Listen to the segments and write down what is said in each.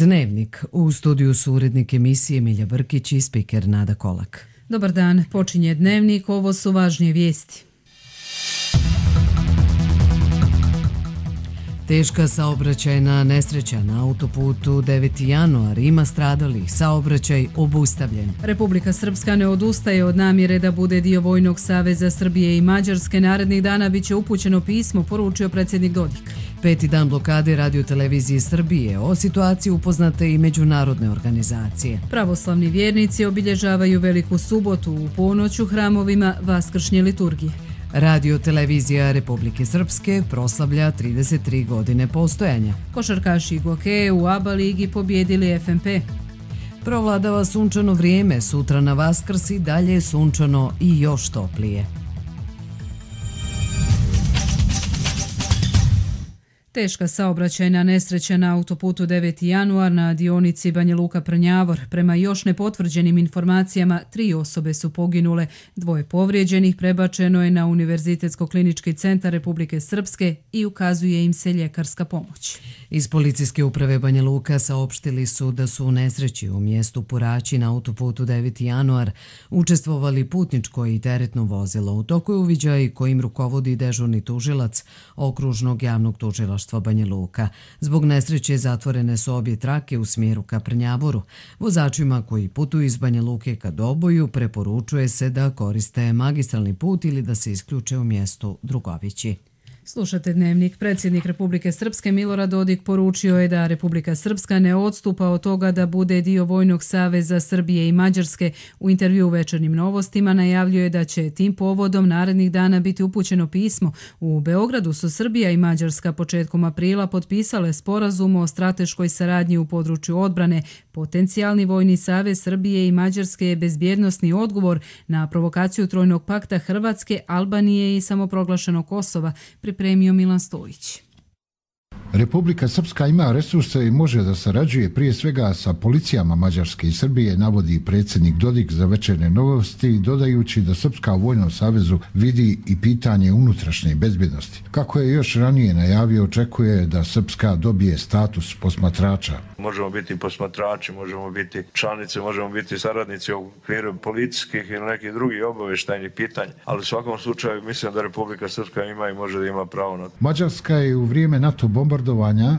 Dnevnik. U studiju su urednik emisije Milja Brkić i spiker Nada Kolak. Dobar dan, počinje Dnevnik, ovo su važnije vijesti. Teška saobraćajna nesreća na autoputu 9. januar, ima stradalih, saobraćaj obustavljen. Republika Srpska ne odustaje od namjere da bude dio Vojnog saveza Srbije i Mađarske. Narednih dana biće upućeno pismo, poručio predsjednik Dodik. 5. dan blokade Radio-televizije Srbije. O situaciji upoznate i međunarodne organizacije. Pravoslavni vjernici obilježavaju Veliku subotu u ponoć u hramovima vaskršnje liturgije. Radio-televizija Republike Srpske proslavlja 33 godine postojanja. Košarkaši Goke u ABA ligi pobjedili FNP. Provladava sunčano vrijeme, sutra na Vaskrs i dalje je sunčano i još toplije. Teška saobraćajna nesreća na autoputu 9. januar na dionici Banja Luka-Prnjavor. Prema još nepotvrđenim informacijama, 3 osobe su poginule, 2 povrijeđenih prebačeno je na Univerzitetsko-klinički centar Republike Srpske i ukazuje im se ljekarska pomoć. Iz policijske uprave Banja Luka saopštili su da su u nesreći u mjestu Puraći na autoputu 9. januar učestvovali putničko i teretno vozilo. U toku je uviđaj kojim rukovodi dežurni tužilac Okružnog javnog tužilaštva Banja Luka. Zbog nesreće zatvorene su obje trake u smjeru ka Prnjavoru. Vozačima koji putuju iz Banja Luke ka Doboju preporučuje se da koriste magistralni put ili da se isključe u mjestu Drugovići. Slušate Dnevnik. Predsjednik Republike Srpske Milorad Dodik poručio je da Republika Srpska ne odstupa od toga da bude dio Vojnog saveza Srbije i Mađarske. U intervju u Večernjim novostima najavljuje da će tim povodom narednih dana biti upućeno pismo. U Beogradu su Srbija i Mađarska početkom aprila potpisale sporazum o strateškoj saradnji u području odbrane. Potencijalni Vojni savez Srbije i Mađarske je bezbjednosni odgovor na provokaciju Trojnog pakta Hrvatske, Albanije i samoproglašenog Kosova, pripremio Milan Stojić. Republika Srpska ima resurse i može da sarađuje prije svega sa policijama Mađarske i Srbije, navodi predsjednik Dodik za Večernje novosti, dodajući da Srpska u Vojnom savezu vidi i pitanje unutrašnje bezbjednosti. Kako je još ranije najavio, očekuje da Srpska dobije status posmatrača. Možemo biti posmatrači, možemo biti članice, možemo biti saradnici u okviru policijskih ili nekih drugih obavještajnih pitanja, ali u svakom slučaju mislim da Republika Srpska ima i može da ima pravo na to. Mađarska je u vrijeme NATO bombardovanja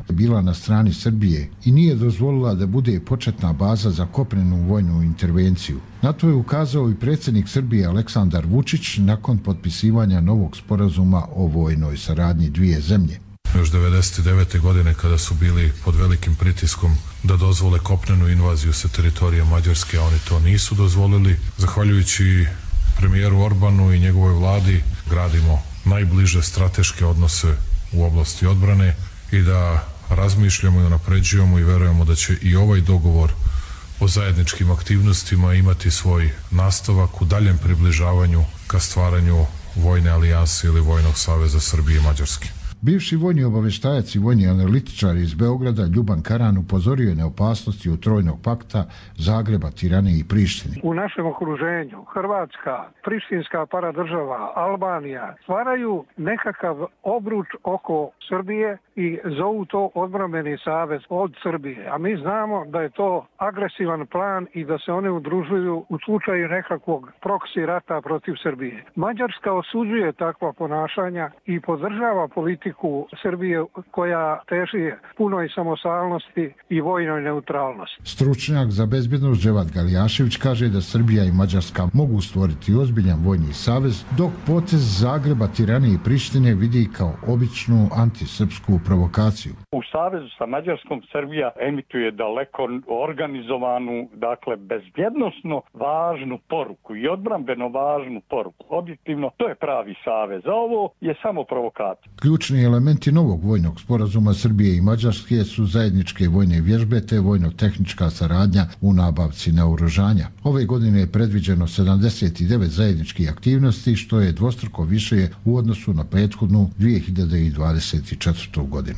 bila na strani Srbije i nije dozvolila da bude početna baza za kopnenu vojnu intervenciju. Na to je ukazao i predsjednik Srbije Aleksandar Vučić nakon potpisivanja novog sporazuma o vojnoj saradnji dvije zemlje. Još 1999. godine kada su bili pod velikim pritiskom da dozvole kopnenu invaziju sa teritorija Mađarske, a oni to nisu dozvolili. Zahvaljujući premijeru Orbanu i njegovoj vladi gradimo najbliže strateške odnose u oblasti odbrane i da razmišljamo i unapređujemo i verujemo da će i ovaj dogovor o zajedničkim aktivnostima imati svoj nastavak u daljem približavanju ka stvaranju vojne alijanse ili Vojnog saveza Srbije i Mađarske. Bivši vojni obavještajac i vojni analitičar iz Beograda Ljuban Karan upozorio je na opasnosti od Trojnog pakta Zagreba, Tirane i Prištine. U našem okruženju Hrvatska, prištinska paradržava, Albanija stvaraju nekakav obruč oko Srbije i zovu to odbrambeni savez od Srbije. A mi znamo da je to agresivan plan i da se one udružuju u slučaju nekakvog proksi rata protiv Srbije. Mađarska osuđuje takva ponašanja i podržava politiku Srbije koja teži punoj samostalnosti i vojnoj neutralnosti. Stručnjak za bezbjednost Dževat Galijašević kaže da Srbija i Mađarska mogu stvoriti ozbiljan vojni savez, dok potez Zagreba, Tirane i Prištine vidi kao običnu antisrpsku provokaciju. U savezu sa Mađarskom Srbija emituje daleko organizovanu, dakle bezbjednosno važnu poruku i odbrambeno važnu poruku. Objektivno, to je pravi savez, a ovo je samo provokacija. Ključni elementi novog vojnog sporazuma Srbije i Mađarske su zajedničke vojne vježbe te vojno-tehnička saradnja u nabavci naoružanja. Ove godine je predviđeno 79 zajedničkih aktivnosti, što je dvostruko više u odnosu na prethodnu 2024. godinu.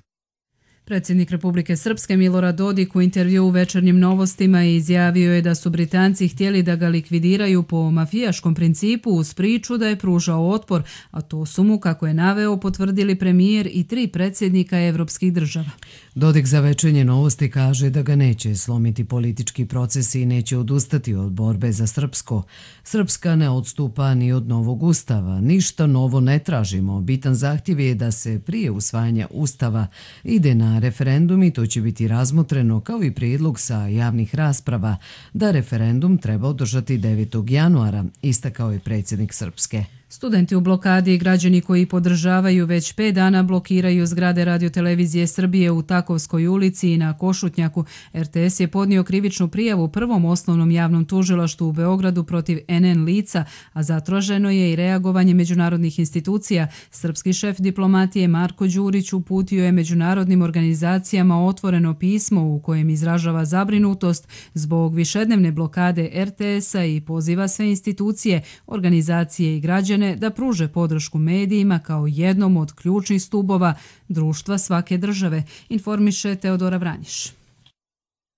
Predsjednik Republike Srpske Milorad Dodik u intervju u Večernjim novostima izjavio je da su Britanci htjeli da ga likvidiraju po mafijaškom principu uz priču da je pružao otpor, a to su mu, kako je naveo, potvrdili premijer i 3 predsjednika evropskih država. Dodik za Večernje novosti kaže da ga neće slomiti politički procesi i neće odustati od borbe za srpsko. Srpska ne odstupa ni od novog ustava, ništa novo ne tražimo. Bitan zahtjev je da se prije usvajanja ustava ide na referendum i to će biti razmotreno kao i prijedlog sa javnih rasprava da referendum treba održati 9. januara, istakao je predsjednik Srpske. Studenti u blokadi i građani koji podržavaju već 5 dana blokiraju zgrade Radiotelevizije Srbije u Takovskoj ulici i na Košutnjaku. RTS je podnio krivičnu prijavu Prvom osnovnom javnom tužilaštvu u Beogradu protiv NN lica, a zatraženo je i reagovanje međunarodnih institucija. Srpski šef diplomatije Marko Đurić uputio je međunarodnim organizacijama otvoreno pismo u kojem izražava zabrinutost zbog višednevne blokade RTS-a i poziva sve institucije, organizacije i građane da pruže podršku medijima kao jednom od ključnih stubova društva svake države, informiše Teodora Vranjiš.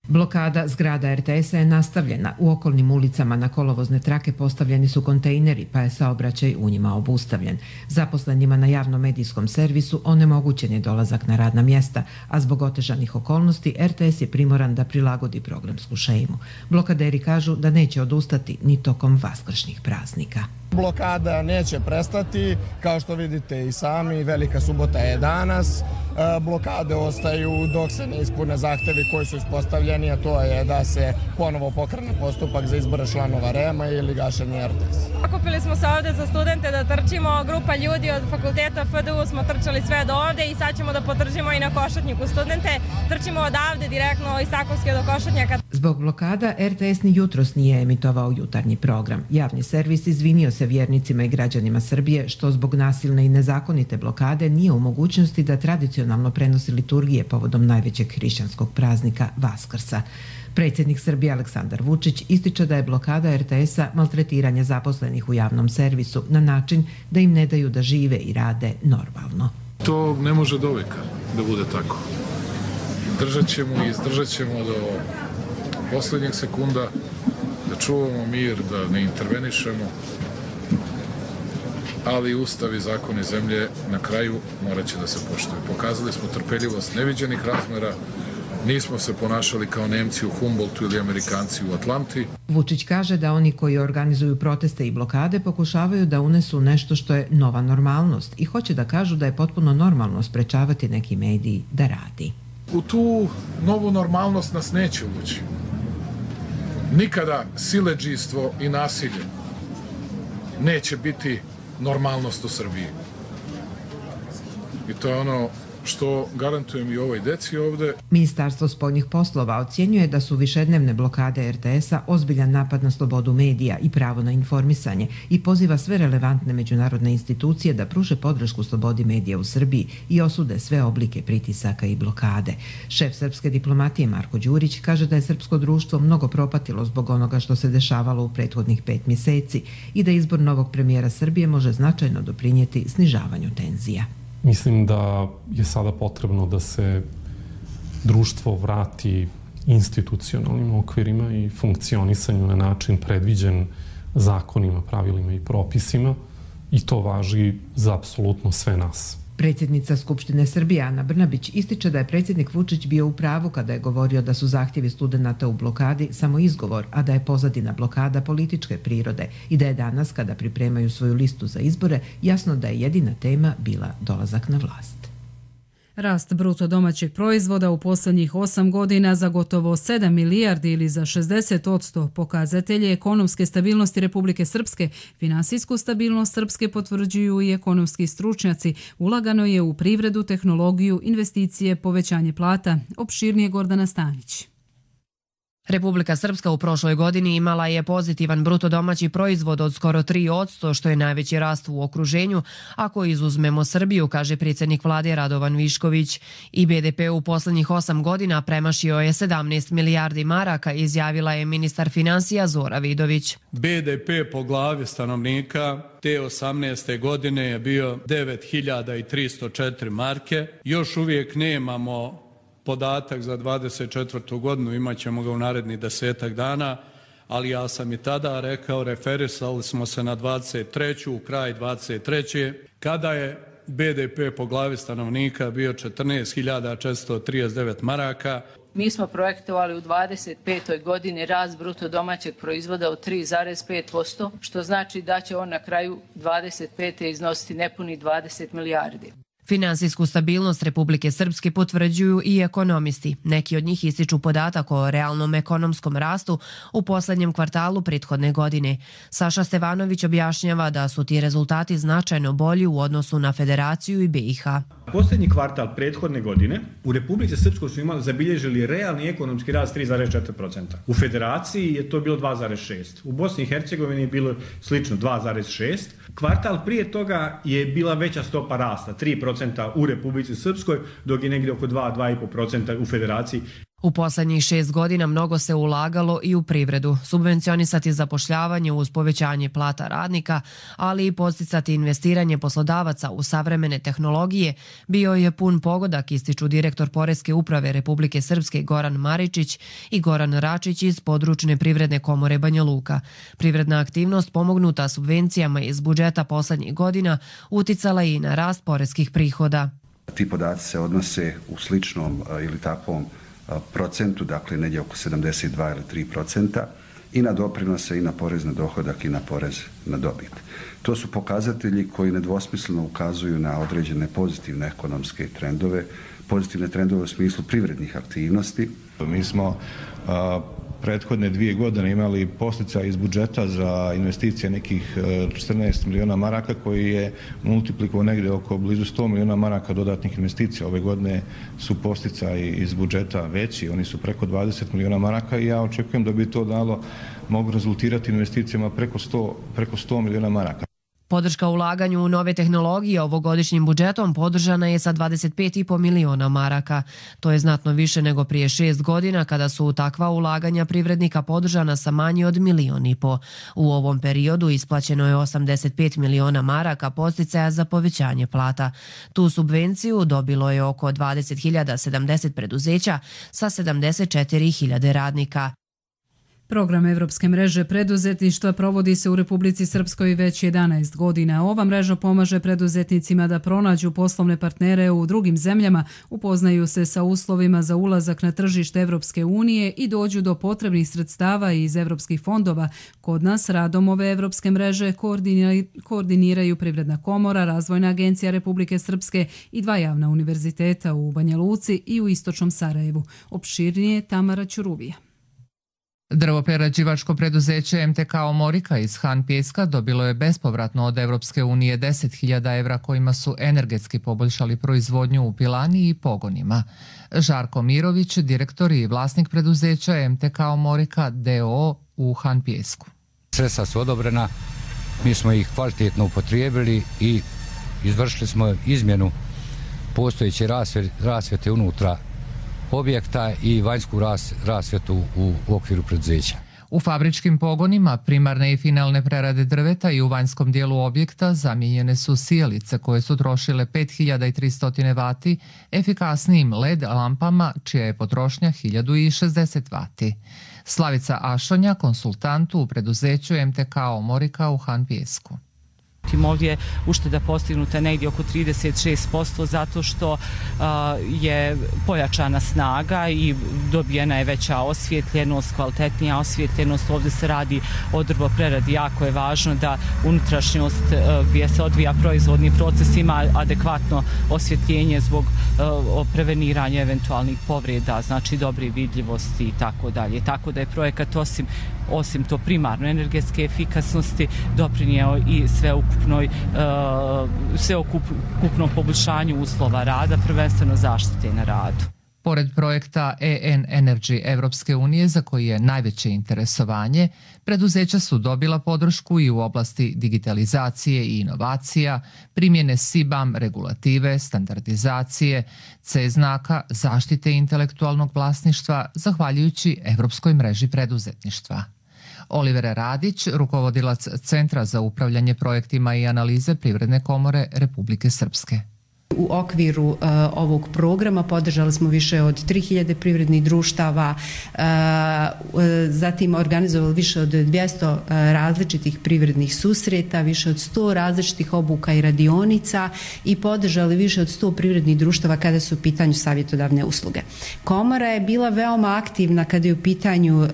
Blokada zgrada RTS-a je nastavljena. U okolnim ulicama na kolovozne trake postavljeni su kontejneri, pa je saobraćaj u njima obustavljen. Zaposlenima na javnom medijskom servisu onemogućen je dolazak na radna mjesta, a zbog otežanih okolnosti RTS je primoran da prilagodi programsku šemu. Blokaderi kažu da neće odustati ni tokom vaskršnjih praznika. Blokada neće prestati, kao što vidite i sami, Velika subota je danas. Blokade ostaju dok se ne ispune zahtevi koji su ispostavljeni, a to je da se ponovo pokrene postupak za izbor članova REM-a ili gašenje RTS. Okupili smo se ovde za studente da trčimo, grupa ljudi od fakulteta FDU smo trčali sve do ovde i sad ćemo da potržimo i na Košutnjaku studente. Trčimo odavde direktno iz Takovske do Košutnjaka. Zbog blokada RTS ni jutros nije emitovao jutarnji program. Javni servis izvinio se vjernicima i građanima Srbije što zbog nasilne i nezakonite blokade nije u mogućnosti da tradicionalno prenosi liturgije povodom najvećeg hrišćanskog praznika Vaskrsa. Predsjednik Srbije Aleksandar Vučić ističe da je blokada RTS-a maltretiranje zaposlenih u javnom servisu na način da im ne daju da žive i rade normalno. To ne može doveka da bude tako. Držat ćemo i izdržat ćemo do posljednjeg sekunda, da čuvamo mir, da ne intervenišemo, ali ustav i zakoni zemlje na kraju morat će da se poštuju. Pokazali smo trpeljivost neviđenih razmera, nismo se ponašali kao Nemci u Humboldtu ili Amerikanci u Atlanti. Vučić kaže da oni koji organizuju proteste i blokade pokušavaju da unesu nešto što je nova normalnost i hoće da kažu da je potpuno normalno sprečavati neki mediji da radi. U tu novu normalnost nas neće uvući. Nikada siledžijstvo i nasilje neće biti normalnost u Srbiji. I to je ono što garantujem i ovoj deci ovde. Ministarstvo spoljnih poslova ocjenjuje da su višednevne blokade RTS-a ozbiljan napad na slobodu medija i pravo na informisanje i poziva sve relevantne međunarodne institucije da pruže podršku slobodi medija u Srbiji i osude sve oblike pritisaka i blokade. Šef srpske diplomatije Marko Đurić kaže da je srpsko društvo mnogo propatilo zbog onoga što se dešavalo u prethodnih 5 mjeseci i da izbor novog premijera Srbije može značajno doprinijeti snižavanju tenzija. Mislim da je sada potrebno da se društvo vrati institucionalnim okvirima i funkcionisanju na način predviđen zakonima, pravilima i propisima i to važi za apsolutno sve nas. Predsjednica Skupštine Srbije Ana Brnabić ističe da je predsjednik Vučić bio u pravu kada je govorio da su zahtjevi studenata u blokadi samo izgovor, a da je pozadina blokada političke prirode i da je danas, kada pripremaju svoju listu za izbore, jasno da je jedina tema bila dolazak na vlast. Rast bruto domaćeg proizvoda u posljednjih 8 godina za gotovo 7 milijardi ili za 60% pokazatelje ekonomske stabilnosti Republike Srpske. Finansijsku stabilnost Srpske potvrđuju i ekonomski stručnjaci. Ulagano je u privredu, tehnologiju, investicije, povećanje plata. Opširnije Gordana Stanić. Republika Srpska u prošloj godini imala je pozitivan bruto domaći proizvod od skoro 3%, što je najveći rast u okruženju, ako izuzmemo Srbiju, kaže predsjednik vlade Radovan Višković. I BDP u posljednjih 8 godina premašio je 17 milijardi maraka, izjavila je ministar finansija Zora Vidović. BDP po glavi stanovnika te 18. godine je bio 9304 marke. Još uvijek nemamo podatak za 24. godinu, imat ćemo ga u narednih 10 dana, ali ja sam i tada rekao, referisali smo se na 23. u kraj 23. kada je BDP po glavi stanovnika bio 14.439 maraka. Mi smo projektovali u 25. godini rast bruto domaćeg proizvoda od 3,5%, što znači da će on na kraju 25. iznositi nepuni 20 milijardi. Finansijsku stabilnost Republike Srpske potvrđuju i ekonomisti. Neki od njih ističu podatak o realnom ekonomskom rastu u poslednjem kvartalu prethodne godine. Saša Stevanović objašnjava da su ti rezultati značajno bolji u odnosu na Federaciju i BiH. Poslednji kvartal prethodne godine u Republici Srpskoj su zabilježili realni ekonomski rast 3,4%. U Federaciji je to bilo 2,6%. U Bosni i Hercegovini je bilo slično 2,6%. Kvartal prije toga je bila veća stopa rasta, 3% u Republici Srpskoj, dok je negdje oko 2,5% u Federaciji. U poslednjih 6 godina mnogo se ulagalo i u privredu, subvencionisati zapošljavanje uz povećanje plata radnika, ali i podsticati investiranje poslodavaca u savremene tehnologije bio je pun pogodak, ističu direktor Poreske uprave Republike Srpske Goran Maričić i Goran Račić iz područne privredne komore Banja Luka. Privredna aktivnost pomognuta subvencijama iz budžeta poslednjih godina uticala i na rast poreskih prihoda. Ti podaci se odnose u sličnom ili takvom procentu, dakle negdje oko 72 ili 3%, i na doprinose i na porez na dohodak i na porez na dobit. To su pokazatelji koji nedvosmisleno ukazuju na određene pozitivne ekonomske trendove, pozitivne trendove u smislu privrednih aktivnosti. Mi smo prethodne 2 godine imali posticaj iz budžeta za investicije nekih 14 miliona maraka koji je multiplikovao negdje oko blizu 100 miliona maraka dodatnih investicija. Ove godine su posticaji iz budžeta veći, oni su preko 20 miliona maraka i ja očekujem da bi to mogu rezultirati investicijama preko 100 miliona maraka. Podrška ulaganju u nove tehnologije ovogodišnjim budžetom podržana je sa 25,5 miliona maraka. To je znatno više nego prije 6 godina kada su takva ulaganja privrednika podržana sa manje od 1,5 miliona. U ovom periodu isplaćeno je 85 miliona maraka podsticaja za povećanje plata. Tu subvenciju dobilo je oko 20.070 preduzeća sa 74.000 radnika. Program Evropske mreže preduzetništva provodi se u Republici Srpskoj već 11 godina. Ova mreža pomaže preduzetnicima da pronađu poslovne partnere u drugim zemljama, upoznaju se sa uslovima za ulazak na tržište Evropske unije i dođu do potrebnih sredstava iz evropskih fondova. Kod nas radom ove Evropske mreže koordiniraju Privredna komora, Razvojna agencija Republike Srpske i 2 javna univerziteta u Banja Luci i u Istočnom Sarajevu. Opširnije Tamara Ćuruvija. Drvoprerađivačko preduzeće MTK Omorika iz Han Pjeska dobilo je bespovratno od Evropske unije 10.000 evra kojima su energetski poboljšali proizvodnju u pilani i pogonima. Žarko Mirović, direktor i vlasnik preduzeća MTK Omorika d.o.o. u Han Pjesku. Sredstva su odobrena, mi smo ih kvalitetno upotrijebili i izvršili smo izmjenu postojeće rasvjete unutra objekta i vanjsku rasvjetu u okviru preduzeća. U fabričkim pogonima primarne i finalne prerade drveta i u vanjskom dijelu objekta zamijenjene su sijalice koje su trošile 5300 vati efikasnijim LED lampama čija je potrošnja 1060 vati. Slavica Ašonja, konsultant u preduzeću MTK Omorika u Han Pjesku. Ovdje ušteda postignuta negdje oko 36% zato što je pojačana snaga i dobijena je veća osvjetljenost, kvalitetnija osvjetljenost. Ovdje se radi o drvopreradi. Jako je važno da unutrašnjost gdje se odvija proizvodni proces ima adekvatno osvjetljenje zbog preveniranja eventualnih povreda, znači dobre vidljivosti i tako dalje. Tako da je projekat osim to primarno energetske efikasnosti doprinjeo i sveukupnom poboljšanju uslova rada, prvenstveno zaštite na radu. Pored projekta EN Energy Evropske unije, za koji je najveće interesovanje, preduzeća su dobila podršku i u oblasti digitalizacije i inovacija, primjene SIBAM regulative, standardizacije, C znaka, zaštite intelektualnog vlasništva, zahvaljujući Evropskoj mreži preduzetništva. Oliver Radić, rukovodilac Centra za upravljanje projektima i analize Privredne komore Republike Srpske. U okviru ovog programa podržali smo više od 3000 privrednih društava, zatim organizovali više od 200 različitih privrednih susreta, više od 100 različitih obuka i radionica i podržali više od 100 privrednih društava kada su u pitanju savjetodavne usluge. Komora je bila veoma aktivna kada je u pitanju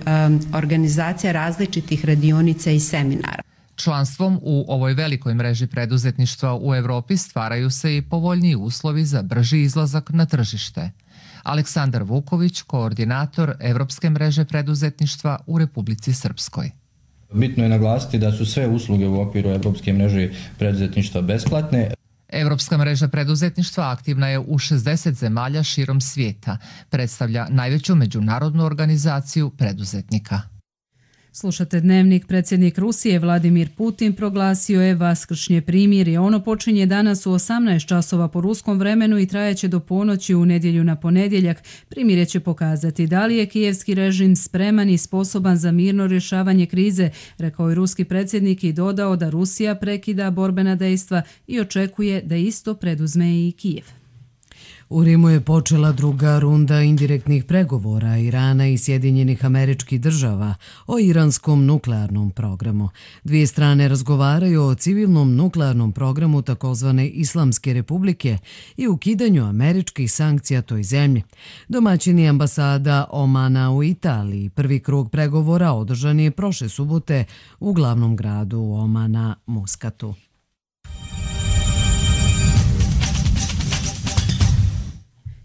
organizacija različitih radionica i seminara. Članstvom u ovoj velikoj mreži preduzetništva u Evropi stvaraju se i povoljniji uslovi za brži izlazak na tržište. Aleksandar Vuković, koordinator Evropske mreže preduzetništva u Republici Srpskoj. Bitno je naglasiti da su sve usluge u okviru Evropske mreže preduzetništva besplatne. Evropska mreža preduzetništva aktivna je u 60 zemalja širom svijeta. Predstavlja najveću međunarodnu organizaciju preduzetnika. Slušate Dnevnik. Predsjednik Rusije Vladimir Putin proglasio je vaskršnje primirje. Ono počinje danas u 18 časova po ruskom vremenu i trajeće do ponoći u nedjelju na ponedjeljak. Primirje će pokazati da li je kijevski režim spreman i sposoban za mirno rješavanje krize, rekao je ruski predsjednik i dodao da Rusija prekida borbena dejstva i očekuje da isto preduzme i Kijev. U Rimu je počela druga runda indirektnih pregovora Irana i Sjedinjenih Američkih Država o iranskom nuklearnom programu. Dvije strane razgovaraju o civilnom nuklearnom programu takozvane Islamske republike i ukidanju američkih sankcija toj zemlji. Domaćin je ambasada Omana u Italiji. Prvi krug pregovora održan je prošle subote u glavnom gradu Omana, Muskatu.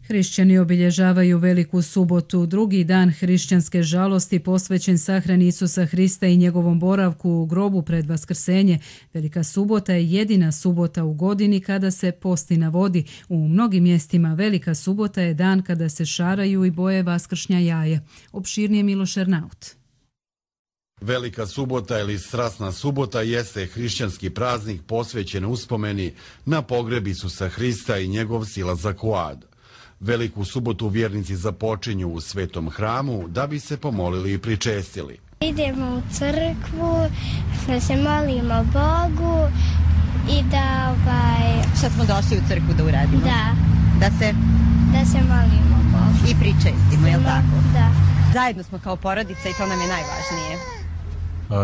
Hrišćani obilježavaju Veliku subotu, drugi dan hrišćanske žalosti posvećen sahrani Isusa Hrista i njegovom boravku u grobu pred Vaskrsenje. Velika subota je jedina subota u godini kada se posti na vodi. U mnogim mjestima Velika subota je dan kada se šaraju i boje vaskršnja jaje. Opširnije Miloš Ernaut. Velika subota ili strasna subota jeste hrišćanski praznik posvećen uspomeni na pogreb Isusa Hrista i njegov silazak u ad. Veliku subotu vjernici započinju u svetom hramu da bi se pomolili i pričestili. Idemo u crkvu, da se molimo Bogu i da Šta smo došli u crkvu da uradimo? Da se molimo Bogu. I pričestimo, je li tako? Da. Zajedno smo kao porodica i to nam je najvažnije.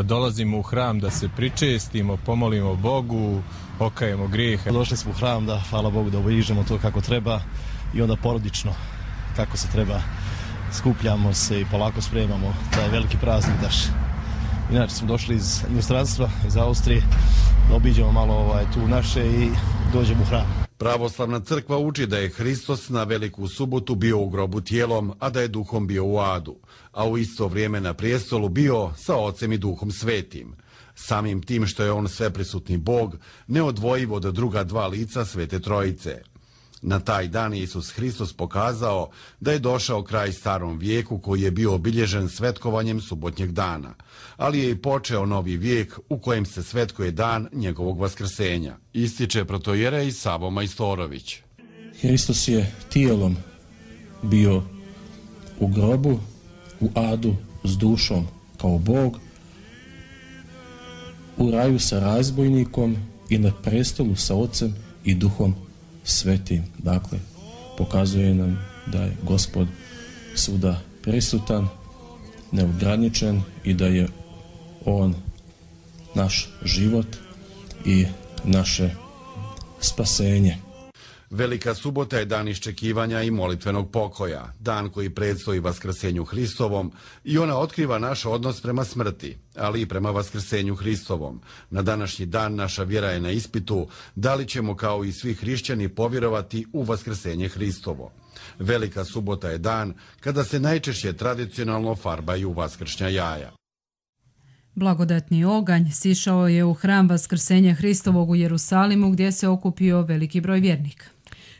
Dolazimo u hram da se pričestimo, pomolimo Bogu, okajemo grijehe. Došli smo u hram da, hvala Bogu, da obilježimo to kako treba i onda porodično kako se treba. Skupljamo se i polako spremamo taj veliki praznik daš. Inače smo došli iz inostranstva, iz Austrije, da obiđemo malo tu naše i dođemo u hram. Pravoslavna crkva uči da je Hristos na Veliku subotu bio u grobu tijelom, a da je duhom bio u adu, a u isto vrijeme na prijestolu bio sa Ocem i Duhom Svetim. Samim tim što je on sveprisutni Bog, neodvojiv od druga dva lica Svete Trojice. Na taj dan Isus Hristos pokazao da je došao kraj starom vijeku koji je bio obilježen svetkovanjem subotnjeg dana, ali je i počeo novi vijek u kojem se svetkuje dan njegovog vaskrsenja, ističe protojerej Savo Majstorović. Hristos je tijelom bio u grobu, u adu s dušom kao Bog, u raju sa razbojnikom i na prestolu sa Ocem i Duhom Svetim. Dakle, pokazuje nam da je Gospod svuda prisutan, neograničen i da je on naš život i naše spasenje. Velika subota je dan iščekivanja i molitvenog pokoja, dan koji predstoji Vaskrsenju Hristovom i ona otkriva naš odnos prema smrti, ali i prema Vaskrsenju Hristovom. Na današnji dan naša vjera je na ispitu da li ćemo kao i svi hrišćani povjerovati u Vaskrsenje Hristovo. Velika subota je dan kada se najčešće tradicionalno farbaju vaskršnja jaja. Blagodatni oganj sišao je u hram Vaskrsenja Hristovog u Jerusalimu gdje se okupio veliki broj vjernika.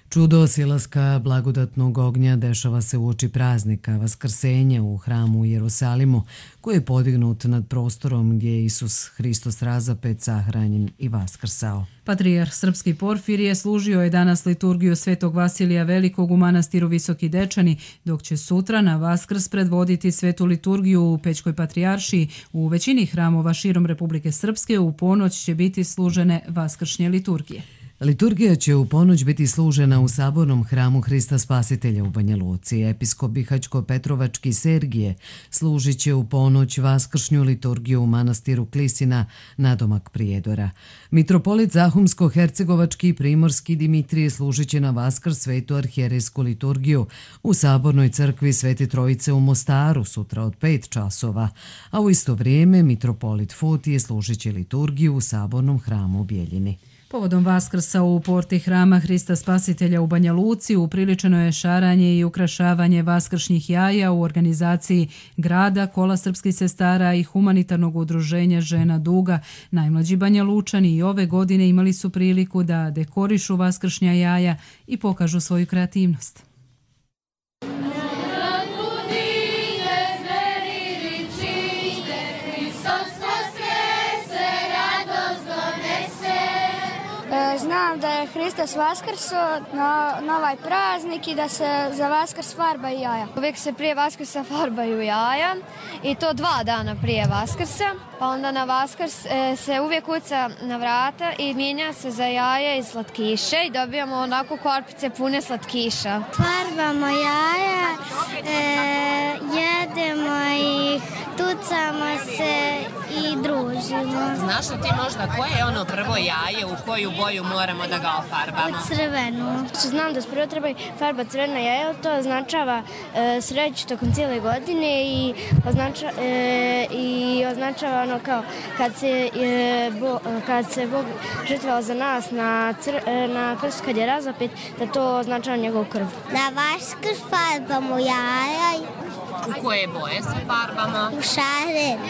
Čudo silaska blagodatnog ognja dešava se uoči praznika Vaskrsenja u hramu u Jerusalimu, koji je podignut nad prostorom gdje je Isus Hristos razapet, sahranjen i vaskrsao. Patrijarh srpski Porfirije služio je danas liturgiju Svetog Vasilija Velikog u manastiru Visoki Dečani, dok će sutra na Vaskrs predvoditi svetu liturgiju u Pećkoj patrijaršiji. U većini hramova širom Republike Srpske u ponoć će biti služene vaskršnje liturgije. Liturgija će u ponoć biti služena u sabornom hramu Hrista Spasitelja u Banja Luci. Episkop Bihaćko-Petrovački Sergije služit će u ponoć vaskršnju liturgiju u manastiru Klisina, nadomak Prijedora. Mitropolit Zahumsko-Hercegovački i Primorski Dimitrije služit će na Vaskrs svetu arhijerejsku liturgiju u sabornoj crkvi Svete Trojice u Mostaru sutra od 5 časova, a u isto vrijeme mitropolit Fotije služit će liturgiju u sabornom hramu u Bijeljini. Povodom Vaskrsa u porti hrama Hrista Spasitelja u Banja Luci upriličeno je šaranje i ukrašavanje vaskršnjih jaja u organizaciji grada, Kola srpskih sestara i humanitarnog udruženja Žena Duga. Najmlađi Banja Lučani i ove godine imali su priliku da dekorišu vaskršnja jaja i pokažu svoju kreativnost. Znam da je Hristos vaskrso na ovaj praznik i da se za Vaskrs farbaju jaja. Uvijek se prije Vaskrsa farbaju jaja i to 2 dana prije Vaskrsa. Pa onda na Vaskrs se uvijek kuca na vrata i mijenja se za jaja i slatkiše i dobijamo onako korpice pune slatkiša. Farbamo jaja, jedemo ih, tucamo se i družimo. Znaš li ti možda koje je ono prvo jaje, u koju boju moramo da ga ofarbamo? U crvenu. Znam da prvo treba farbati crveno jaje, to označava sreću tokom cijele godine i označava ono kao kad se Bog žrtvovao za nas na krstu kad je razapet, da to označava njegov krv. Na Vaskrs farbamo jaja. U koje boje se farbamo? U šarenu.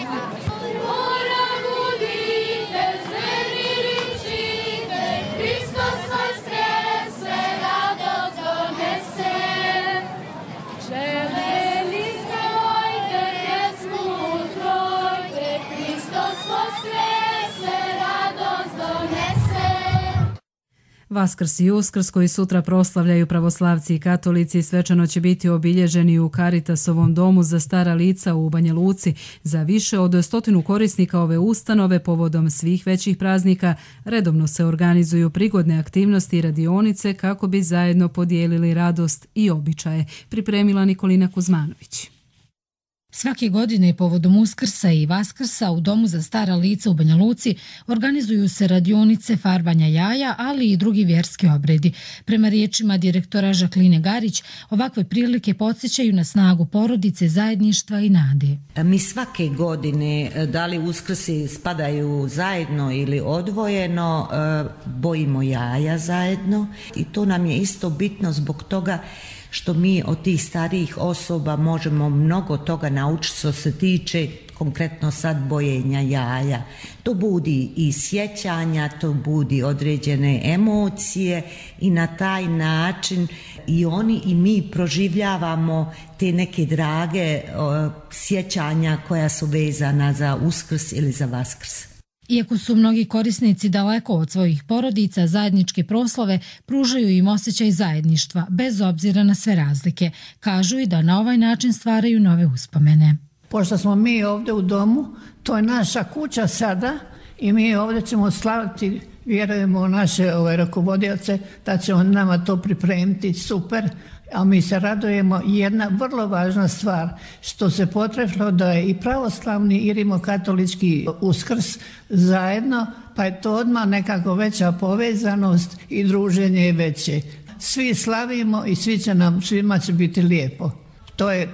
Vaskrs i Uskrs koji sutra proslavljaju pravoslavci i katolici svečano će biti obilježeni u Karitasovom domu za stara lica u Banja Luci. Za više od 100 korisnika ove ustanove povodom svih većih praznika redovno se organizuju prigodne aktivnosti i radionice kako bi zajedno podijelili radost i običaje, pripremila Nikolina Kuzmanović. Svake godine povodom Uskrsa i Vaskrsa u Domu za stara lica u Banja Luci organizuju se radionice farbanja jaja, ali i drugi vjerski obredi. Prema riječima direktora Žakline Garić, ovakve prilike podsjećaju na snagu porodice, zajedništva i nade. Mi svake godine, da li Uskrsi spadaju zajedno ili odvojeno, bojimo jaja zajedno i to nam je isto bitno zbog toga što mi od tih starijih osoba možemo mnogo toga naučiti što se tiče konkretno sad bojenja jaja. To budi i sjećanja, to budi određene emocije i na taj način i oni i mi proživljavamo te neke drage sjećanja koja su vezana za Uskrs ili za Vaskrs. Iako su mnogi korisnici daleko od svojih porodica, zajedničke proslave pružaju im osjećaj zajedništva, bez obzira na sve razlike. Kažu i da na ovaj način stvaraju nove uspomene. Pošto smo mi ovdje u domu, to je naša kuća sada i mi ovdje ćemo slaviti, vjerujemo u naše rukovodioce da će on nama to pripremiti super, a mi se radujemo. Jedna vrlo važna stvar što se potrefilo da je i pravoslavni i rimokatolički Uskrs zajedno, pa je to odmah nekako veća povezanost i druženje je veće. Svi slavimo i svima će biti lijepo. To je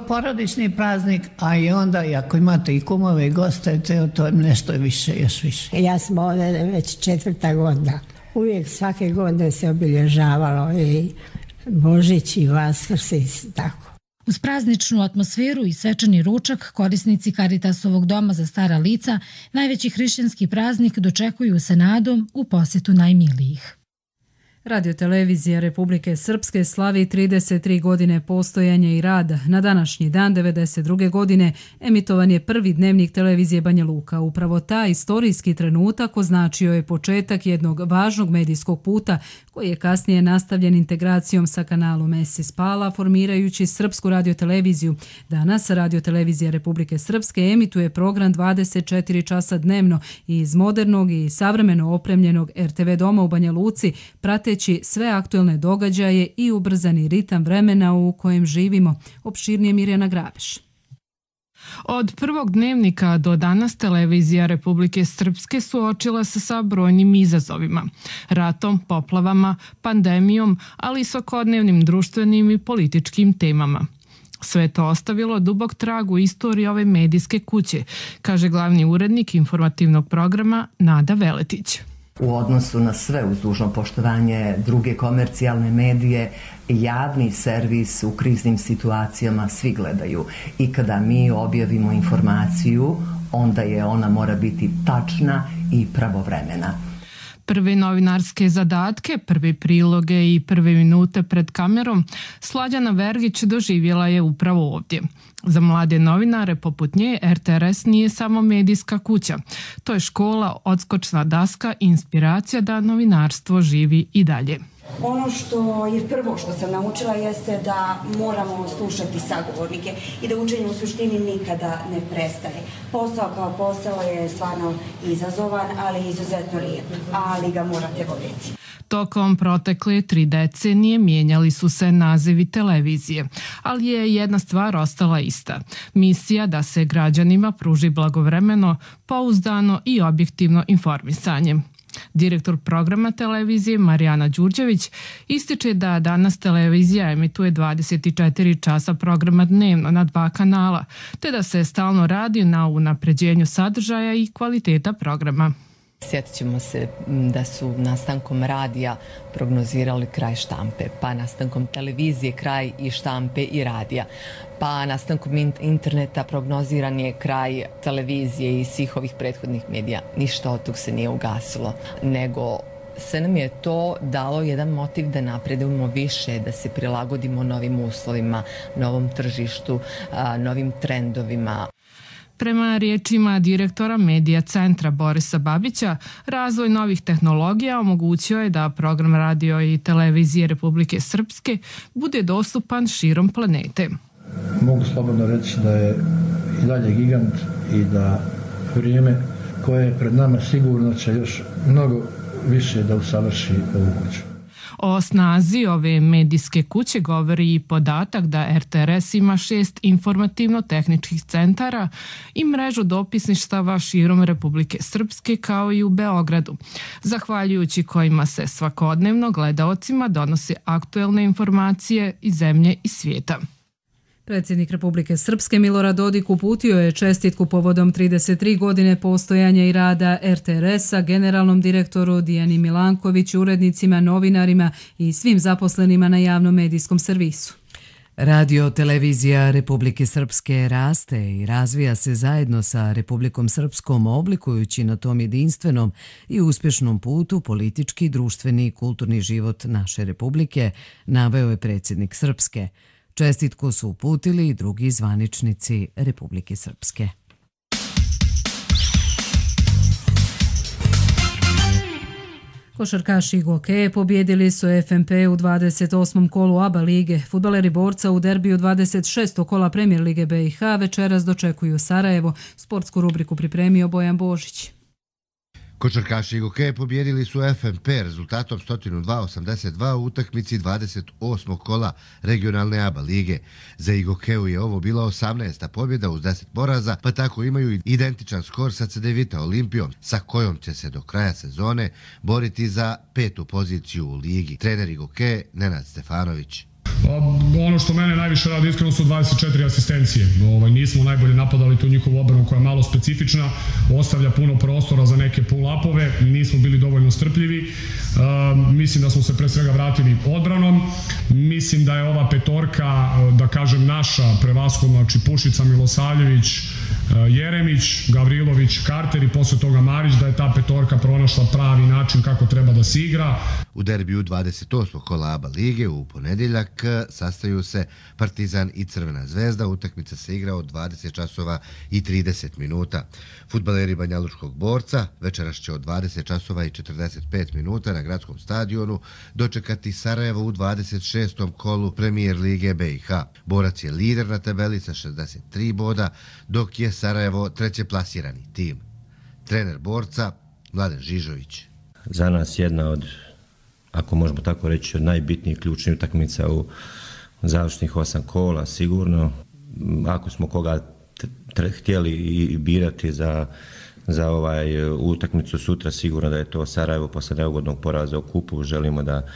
porodični praznik, a i onda i ako imate i kumove i goste, to je nešto više, još više. Ja sam ovdje već 4. godina. Uvijek svake godine se obilježavalo i Božić i Vaskrs i tako. Uz prazničnu atmosferu i svečani ručak, korisnici Karitasovog doma za stara lica najveći hrišćanski praznik dočekuju sa nadom u posjetu najmilijih. Radiotelevizija Republike Srpske slavi 33 godine postojanja i rada. Na današnji dan 1992. godine emitovan je prvi dnevnik televizije Banja Luka. Upravo taj istorijski trenutak označio je početak jednog važnog medijskog puta koji je kasnije nastavljen integracijom sa kanalom SC Pala, formirajući Srpsku radioteleviziju. Danas Radiotelevizija Republike Srpske emituje program 24 časa dnevno i iz modernog i savremeno opremljenog RTV doma u Banja Luci, prateći sve aktuelne događaje i ubrzani ritam vremena u kojem živimo. Opširnije Mirjana Grabeš. Od prvog dnevnika do danas televizija Republike Srpske suočila se sa brojnim izazovima. Ratom, poplavama, pandemijom, ali i svakodnevnim društvenim i političkim temama. Sve to ostavilo dubok trag u istoriji ove medijske kuće, kaže glavni urednik informativnog programa Nada Veletić. U odnosu na sve uz dužno poštovanje druge komercijalne medije, javni servis u kriznim situacijama svi gledaju. I kada mi objavimo informaciju, onda je ona mora biti tačna i pravovremena. Prve novinarske zadatke, prve priloge i prve minute pred kamerom Slađana Vergić doživjela je upravo ovdje. Za mlade novinare poput nje RTRS nije samo medijska kuća. To je škola, odskočna daska i inspiracija da novinarstvo živi i dalje. Ono što je prvo što sam naučila jeste da moramo slušati sagovornike i da učenje u suštini nikada ne prestaje. Posao kao posao je stvarno izazovan, ali izuzetno lijep, ali ga morate voljeti. Tokom protekle 3 decenije mijenjali su se nazivi televizije, ali je jedna stvar ostala ista. Misija da se građanima pruži blagovremeno, pouzdano i objektivno informisanje. Direktor programa televizije Marijana Đurđević ističe da danas televizija emituje 24 časa programa dnevno na 2 kanala, te da se stalno radi na unapređenju sadržaja i kvaliteta programa. Sjetit ćemo se da su nastankom radija prognozirali kraj štampe, pa nastankom televizije kraj i štampe i radija, pa nastankom interneta prognoziran je kraj televizije i svih ovih prethodnih medija. Ništa od tog se nije ugasilo, nego sve nam je to dalo jedan motiv da napredujemo više, da se prilagodimo novim uslovima, novom tržištu, novim trendovima. Prema riječima direktora Medija centra Borisa Babića, razvoj novih tehnologija omogućio je da program radio i televizije Republike Srpske bude dostupan širom planete. Mogu slobodno reći da je i dalje gigant i da vrijeme koje je pred nama sigurno će još mnogo više da usavrši ovu kuću. O snazi ove medijske kuće govori i podatak da RTRS ima 6 informativno-tehničkih centara i mrežu dopisništava širom Republike Srpske kao i u Beogradu, zahvaljujući kojima se svakodnevno gledaocima donose aktuelne informacije iz zemlje i svijeta. Predsjednik Republike Srpske Milorad Dodik uputio je čestitku povodom 33 godine postojanja i rada RTRS-a generalnom direktoru Dijani Milanković, urednicima, novinarima i svim zaposlenima na javnom medijskom servisu. Radio-televizija Republike Srpske raste i razvija se zajedno sa Republikom Srpskom, oblikujući na tom jedinstvenom i uspješnom putu politički, društveni i kulturni život naše Republike, naveo je predsjednik Srpske. Čestitku su uputili i drugi zvaničnici Republike Srpske. Košarkaši Gokeje pobjedili su FNP u 28. kolu ABA lige. Fudbaleri Borca u derbiju 26. kola Premier lige BiH večeras dočekuju Sarajevo. Sportsku rubriku pripremio Bojan Božić. Košarkaši Gokeje pobjedili su FNP rezultatom 102-82 u utakmici 28. kola regionalne ABA lige. Za Gokeju je ovo bila 18. pobjeda uz 10 poraza, pa tako imaju identičan skor sa Cedevita Olimpijom, sa kojom će se do kraja sezone boriti za 5. poziciju u ligi. Trener Gokeje Nenad Stefanović. Ono što mene najviše radi iskreno su 24 asistencije. Nismo najbolje napadali tu njihovu obranu koja je malo specifična, ostavlja puno prostora za neke pull-upove, nismo bili dovoljno strpljivi. Mislim da smo se pre svega vratili odbranom. Mislim da je ova petorka, da kažem naša, prevashodno, znači Pušica, Milosavljević, Jeremić, Gavrilović, Karter i posle toga Marić, da je ta petorka pronašla pravi način kako treba da se igra. U derbiju 28. kola ABA lige u ponedjeljak sastaju se Partizan i Crvena zvezda. Utakmica se igra od 20 časova i 30 minuta. Fudbaleri Banjalučkog Borca večeras će od 20 časova i 45 minuta na gradskom stadionu dočekati Sarajevo u 26. kolu Premijer lige BiH. Borac je lider na tabeli sa 63 boda, dok je Sarajevo treće plasirani tim. Trener Borca Mladen Žižović. Za nas jedna od, ako možemo tako reći, od najbitnijih ključnih utakmica u završnih 8 kola, sigurno. Ako smo koga htjeli i birati za utakmicu sutra, sigurno da je to Sarajevo posle neugodnog poraza u kupu. Želimo da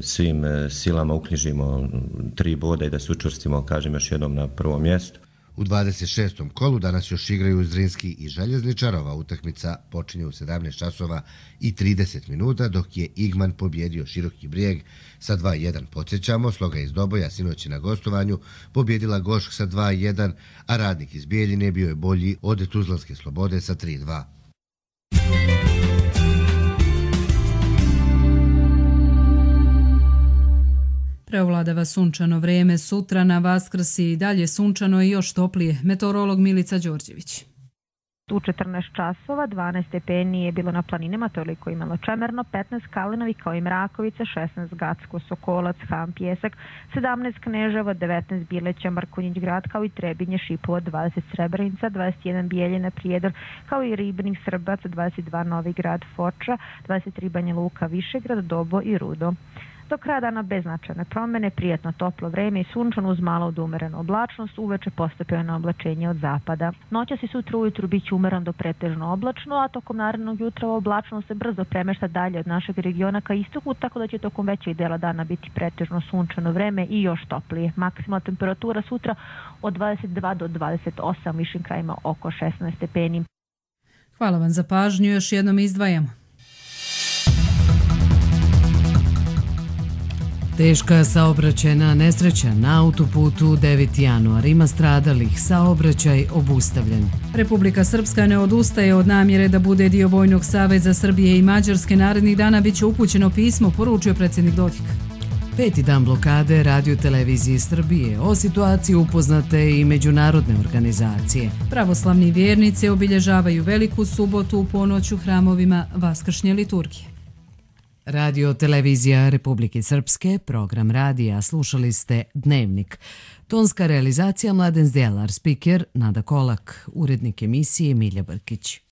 svim silama uknjižimo 3 boda i da se učvrstimo, kažem još jednom, na prvom mjestu. U 26. kolu danas još igraju Zrinski i Željezničar. Ova utakmica počinje u 17 časova i 30 minuta, dok je Igman pobjedio Široki Brijeg sa 2-1. Podsjećamo, Sloga iz Doboja sinoć na gostovanju pobjedila Gošk sa 2-1, a Radnik iz Bijeljine bio je bolji od Tuzlanske Slobode sa 3-2. Preovladava sunčano vrijeme, sutra na Vaskrs i dalje sunčano i još toplije. Meteorolog Milica Đorđević. U 14 časova 12 stepeni je bilo na planinama, toliko imalo Čemerno, 15 Kalinovi kao i Mrakovica, 16 Gacko, Sokolac, Ham, Pjesak, 17 Kneževa, 19 Bileća, Markonjić grad kao i Trebinje, Šipovo, 20 Srebrenica, 21 Bijeljina, Prijedor kao i Ribnik, Srbac, 22 Novi grad, Foča, 23 Banja Luka, Višegrad, Dobo i Rudo. Do kraja dana bez značajne promjene, prijatno toplo vreme i sunčano uz malo od umerenu oblačnost, uveče postepeno oblačenje od zapada. Noćas i sutra ujutru bit će umeran do pretežno oblačno, a tokom narednog jutra oblačnost se brzo premešta dalje od našeg regiona ka istoku, tako da će tokom većeg dela dana biti pretežno sunčano vreme i još toplije. Maksimalna temperatura sutra od 22 do 28, višim krajima oko 16 stepeni. Hvala vam za pažnju, još jednom izdvajamo. Teška saobraćajna nesreća na autoputu 9. januar. Ima stradalih, saobraćaj obustavljen. Republika Srpska ne odustaje od namjere da bude dio Vojnog saveza Srbije i Mađarske. Narednih dana bit će upućeno pismo, poručio predsjednik Dodik. 5. dan blokade Radio televiziji Srbije. O situaciji upoznate i međunarodne organizacije. Pravoslavni vjernici obilježavaju Veliku subotu u ponoć u hramovima Vaskršnje liturgije. Radio televizija Republike Srpske, program radija, slušali ste Dnevnik. Tonska realizacija Mladen Zdjelar, spiker Nada Kolak, urednik emisije Milja Brkić.